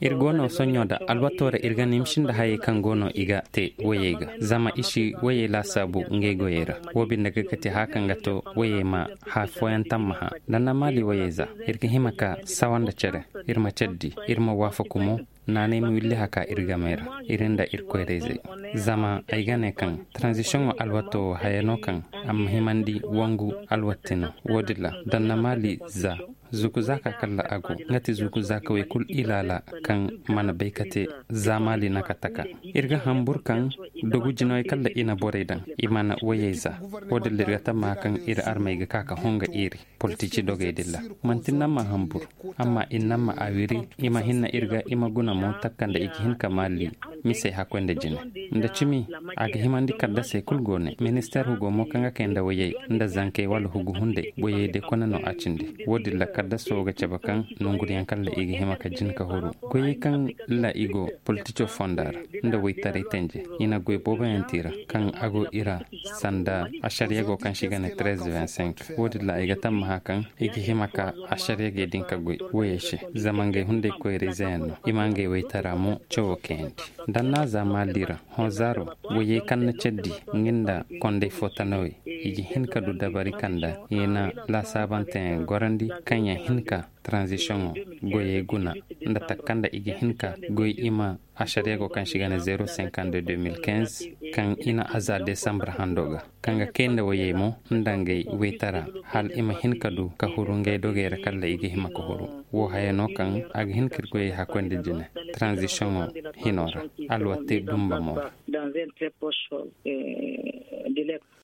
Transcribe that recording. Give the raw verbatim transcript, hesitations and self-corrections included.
Iri go no soɲo da alwato ra iri ga nimsin da hayey kaŋ go no i ga te wayey ga zama i si wayey laasaabu ngey goyey ra. Wo binde ga kati haya kaŋ ga to wayey ma haya fooyaŋ tammaha. Danna maali wayey za iri ga hima ka sawa nda care, iri ma care di, iri ma waafaku mo. Naanay ma willi haka iri gamey ra, iri nda iri koyrayzey. Zama ay ga ne kaŋ transition wo alwato wo haya no kaŋ a ma himandi wangu alwatti no. Wo- din ra danna maali za zuku zaaka kalla a go, nga ti zuku zaaka way kulu ilaala kaŋ mana bay ka te za maali na ka taka. Iri ga hambur kaŋ dogu jinoy kalla i na borey daŋ i mana wayey za. Wo- din ra iri ga tamma kaŋ iri armey ga ka ka honga iri politici dogey din ra. Manti namma hambur, amma i namma a wiri i ma hinna iri ga i ma guna mo takka nda i ga hin ka maali misey hakkoy nda jine nda cimi. A ga himandi kaddasey kulu go ne ministeer hugo mo kaŋ ga kay nda wayey nda zankey wala hugu hunday wayey day kone no a cindi. Wo- din ra kaddaso ga cabe kaŋ nonguriyaŋ kalla i ga hima ka jin ka huru goyey kaŋ la i go politico fonda ra nda waytaray tanje. I na goy booboyaŋ te i ra kaŋ a go i ra sanda asariya go kaŋ se i ga ne treize vingt-cinq. Wo- din ra i ga tammaha kaŋ i ga hima ka asariya gey din ka goy wayey se, zama ngey hunday koyrayzeyaŋ no i ma ngey waytara mo cawo kayandi. Danna za maali ra hõ zaaro wayey kaŋ na care di nga nda konday fo tanawey i ga hin ka du dabari kaŋ nda i na laasaabanteyaŋ gorandi kaŋ yaŋ hin ka transition goyey guna nda takka nda i ga hin ka goy i ma asariya go kaŋ se i ga ne zéro cinquante de deux mille quinze, kaŋ i na a za desambar hando ga kaŋ ga kay nda wayey mo nda ngey waytara hala i ma hin ka du ka huru ngey dogey ra kalla i ga hima ka huru. Wo haya no kaŋ a ga hin ka iri goyey hakkoy nda jine transition hino ra alwatte dumba mo ra.